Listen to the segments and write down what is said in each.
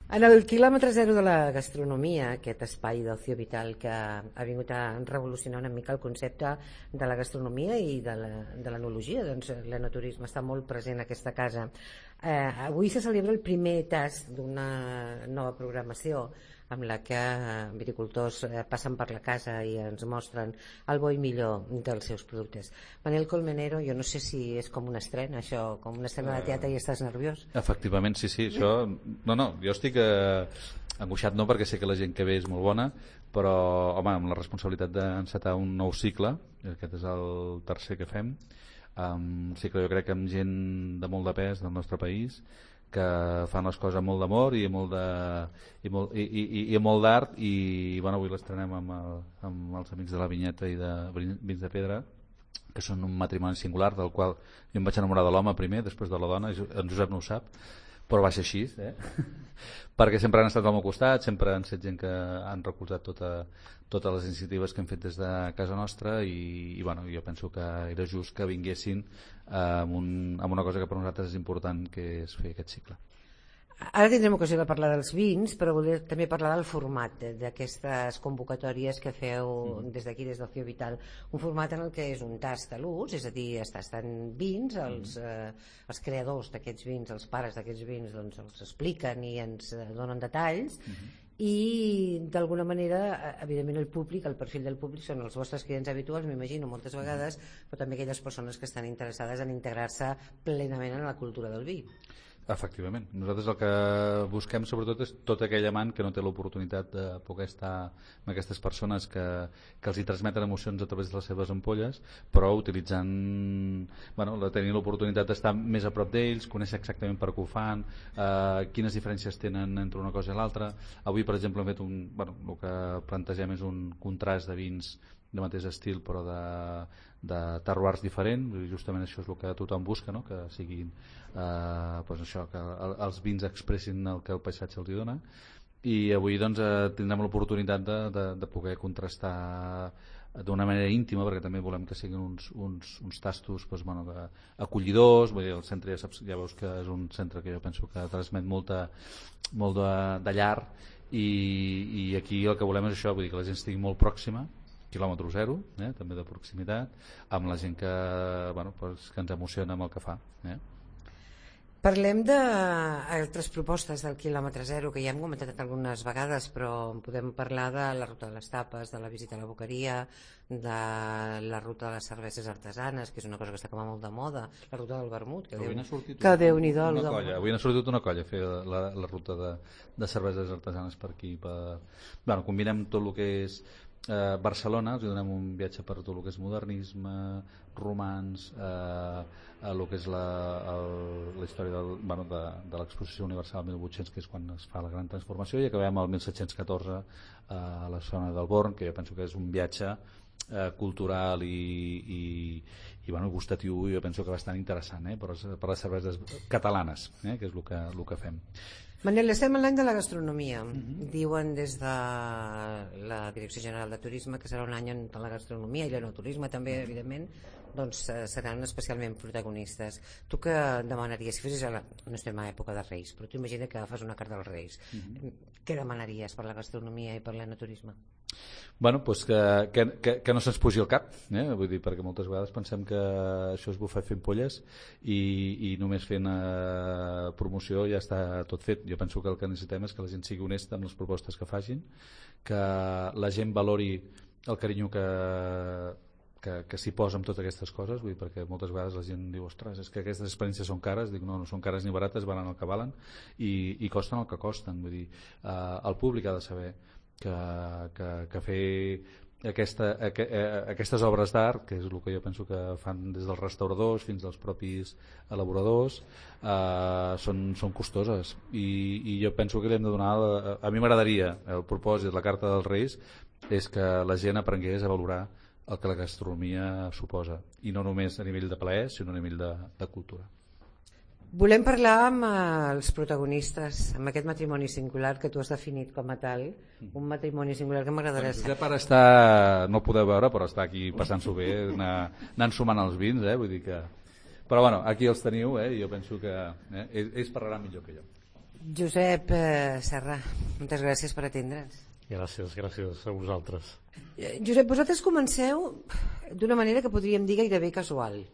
En el quilòmetre zero de la gastronomia, aquest espai d'ocio vital que ha vingut a revolucionar una mica el concepte de la gastronomia i de l'enologia, doncs l'enoturisme està molt present a aquesta casa. Avui se celebra el primer tast d'una nova programació amb la que viticultors passen per la casa i ens mostren el bo i millor dels seus productes. Manel Colmenero, jo no sé si és com una estrena, això, com una estrena de teatre i estàs nerviós. Efectivament, sí, això... No, jo estic angoixat no, perquè sé que la gent que ve és molt bona, però, home, amb la responsabilitat d'encetar un nou cicle, aquest és el tercer que fem, cicle jo crec que amb gent de molt de pes del nostre país, que fan les coses amb molt d'amor i amb molt d'art i bueno, avui l'estrenem amb els amics de la Vinyeta i de Vins de Pedra, que són un matrimoni singular del qual jo em vaig enamorar de l'home primer, després de la dona, en Josep no ho sap, però va ser així, perquè sempre han estat al meu costat, sempre han estat gent que han recolzat totes les iniciatives que hem fet des de casa nostra i bueno, jo penso que era just que vinguessin amb una cosa que per nosaltres és important, que és fer aquest cicle. Ara tindrem ocasió de parlar dels vins, però volia també parlar del format d'aquestes convocatòries que feu des d'aquí, des d'Ocio Vital. Un format en el que és un tast a l'ús, és a dir, es tasten vins, els creadors d'aquests vins, els pares d'aquests vins, doncs els expliquen i ens donen detalls, i d'alguna manera, evidentment, el públic, el perfil del públic són els vostres clients habituals, m'imagino, moltes vegades, però també aquelles persones que estan interessades en integrar-se plenament en la cultura del vi. Efectivament. Nosaltres el que busquem sobretot és tot aquell amant que no té l'oportunitat de poder estar amb aquestes persones que els hi transmeten emocions a través de les seves ampolles, però utilitzant, bueno, tenir l'oportunitat d'estar més a prop d'ells, conèixer exactament per què ho fan, quines diferències tenen entre una cosa i l'altra. Avui, per exemple, hem fet el que plantegem és un contrast de vins de mateix estil però de terroirs diferents, justament això és el que tothom busca, no? Que siguin doncs això, que els vins expressin el que el paisatge els hi dona, i avui doncs tindrem l'oportunitat de poder contrastar d'una manera íntima, perquè també volem que siguin uns tastos doncs, bueno, acollidors. Vull dir, el centre ja veus que és un centre que jo penso que transmet molt de llar, i aquí el que volem és això, vull dir, que la gent estigui molt pròxima, quilòmetre zero, també de proximitat, amb la gent que, bueno, pues, que ens emociona amb el que fa. Parlem d'altres propostes del quilòmetre zero que ja hem comentat algunes vegades, però podem parlar de la ruta de les tapes, de la visita a la boqueria, de la ruta de les cerveses artesanes, que és una cosa que està com a molt de moda, la ruta del vermut, que Déu-n'hi-do. Avui n'ha sortit una colla a fer la ruta de cerveses artesanes per aquí. Bueno, combinem tot el que és Barcelona, els donem un viatge per tot el que és modernisme, romans, el que és la història de l'exposició universal 1800, que és quan es fa la gran transformació, i acabem al 1714 a la zona del Born, que jo penso que és un viatge cultural i gustatiu, jo penso que bastant interessant, per les cerveses catalanes, que és el que fem. Manel, estem en l'any de la gastronomia. Diuen des de la Direcció General de Turisme que serà un any on la gastronomia i l'enoturisme també, evidentment, doncs seran especialment protagonistes. Tu què demanaries? Si fessis no estem a època de Reis, però tu imagina que fas una carta dels Reis. Què demanaries per la gastronomia i per l'enoturisme? Bueno, doncs que no se'ns pugi al cap, vull dir, perquè moltes vegades pensem que això és bufar fent polles i només fent promoció ja està tot fet. Jo penso que el que necessitem és que la gent sigui honesta amb les propostes que facin, que la gent valori el carinyo que s'hi posa amb totes aquestes coses, vull dir, perquè moltes vegades la gent diu, ostres, és que aquestes experiències són cares. Dic, no són cares ni barates, valen el que valen i costen el que costen. Vull dir, el públic ha de saber que fer aquestes obres d'art, que és el que jo penso que fan des dels restauradors fins als propis elaboradors, són costoses, i jo penso que li hem de donar a mi m'agradaria, el propòsit, la carta dels Reis és que la gent aprengués a valorar el que la gastronomia suposa, i no només a nivell de plaer sinó a nivell de cultura. Volem parlar amb els protagonistes, amb aquest matrimoni singular que tu has definit com a tal, un matrimoni singular que m'agradarà saber. Josep ara està, no ho podeu veure, però està aquí passant-s'ho bé, anant sumant els vins, vull dir que... Però bueno, aquí els teniu, i jo penso que ells parlaran millor que jo. Josep Serra, moltes gràcies per atendre'ns. Gràcies a vosaltres. Josep, vosaltres comenceu d'una manera que podríem dir gairebé casual.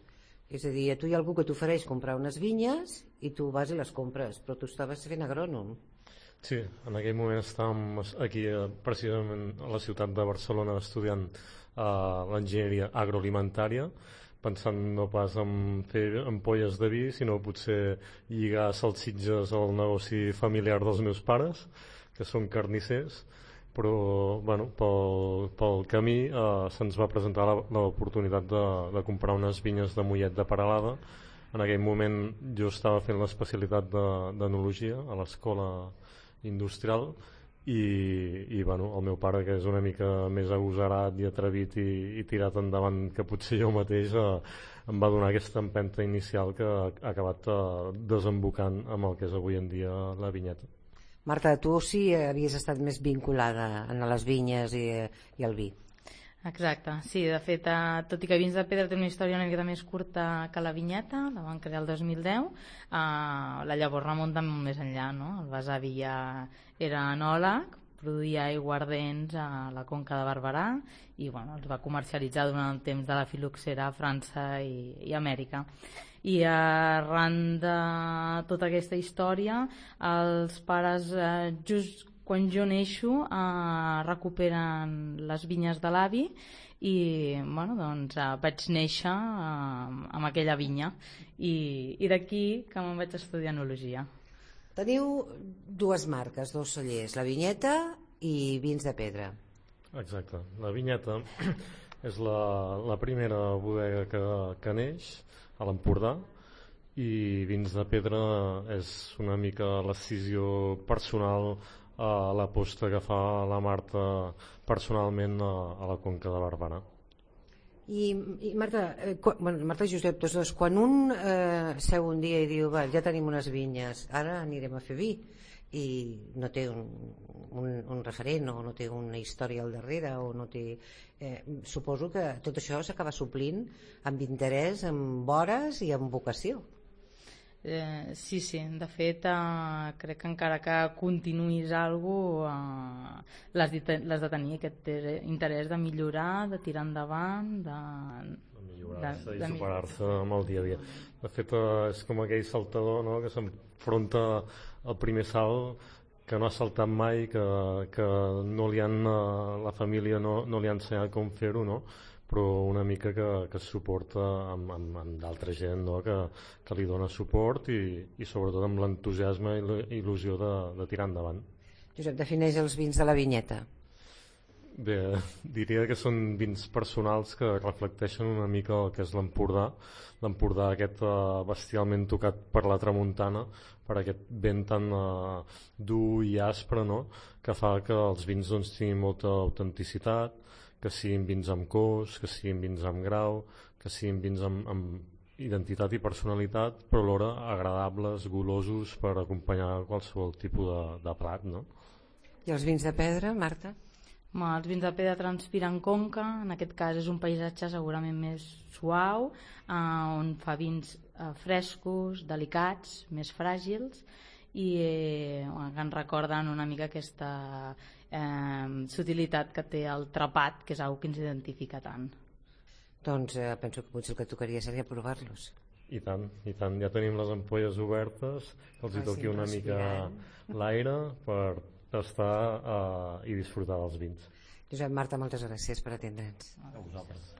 És a dir, a tu hi ha algú que t'ofereix comprar unes vinyes i tu vas i les compres, però tu estaves fent agrònom. Sí, en aquell moment estàvem aquí precisament a la ciutat de Barcelona estudiant l'enginyeria agroalimentària, pensant no pas en fer ampolles de vi, sinó potser lligar salsitxes al negoci familiar dels meus pares, que són carnissers, però bueno, pel camí se'ns va presentar l'oportunitat de comprar unes vinyes de Mollet de Peralada. En aquell moment jo estava fent l'especialitat d'enologia a l'escola industrial i bueno, el meu pare, que és una mica més agosarat i atrevit i tirat endavant que potser jo mateix, em va donar aquesta empenta inicial que ha acabat desembocant amb el que és avui en dia la vinyeta. Marta, tu sí havies estat més vinculada a les vinyes i al vi. Exacte, sí, de fet, tot i que Vins de Pedra té una història una mica més curta que la vinyeta, la van crear el 2010, la llavor remunta molt més enllà, no? El besavi ja era enòleg, produïa aiguardents a la Conca de Barberà i bueno, els va comercialitzar durant el temps de la fil·loxera a França i Amèrica. I arran de tota aquesta història, els pares, just quan jo neixo, recuperen les vinyes de l'avi i bueno, doncs, vaig néixer amb aquella vinya i d'aquí que me'n vaig estudiar enologia. Teniu dues marques, dos cellers, la Vinyeta i Vins de Pedra. Exacte, la Vinyeta és la primera bodega que neix a l'Empordà i Vins de Pedra és una mica l'escissió personal a l'aposta que fa la Marta personalment a la Conca de Barberà. I Marta, Marta i Josep, tots dos, quan un seu un dia i diu ja tenim unes vinyes, ara anirem a fer vi, i no té un referent o no té una història al darrere o no té, suposo que tot això s'acaba suplint amb interès, amb hores i amb vocació. Sí, de fet crec que encara que continuïs alguna cosa l'has de tenir aquest interès de millorar, de tirar endavant, de millorar-se i superar-se amb el dia a dia. De fet és com aquell saltador, no?, que s'enfronta al primer salt que no ha saltat mai, que no li han, la família no li ha ensenyat com fer-ho, no?, però una mica que es suporta amb d'altra gent, no?, que li dona suport i sobretot amb l'entusiasme i la il·lusió de tirar endavant. Josep, defineix els vins de la Vinyeta. Bé, diria que són vins personals que reflecteixen una mica el que és l'Empordà aquest bestialment tocat per la tramuntana, per aquest vent tan dur i aspre, no?, que fa que els vins doncs, tinguin molta autenticitat, que siguin vins amb cos, que siguin vins amb grau, que siguin vins amb identitat i personalitat, però alhora agradables, golosos per acompanyar qualsevol tipus de plat, no? I els vins de pedra, Marta? Els vins de pedra transpiren conca, en aquest cas és un paisatge segurament més suau, on fa vins frescos, delicats, més fràgils i que ens recorden una mica aquesta sutilitat que té el trapat, que és una que ens identifica tant. Doncs penso que potser el que tocaria seria provar-los. I tant, ja tenim les ampolles obertes, que els hi toqui una mica l'aire per tastar i disfrutar dels vins. Josep, Marta, moltes gràcies per atendre'ns. A vosaltres.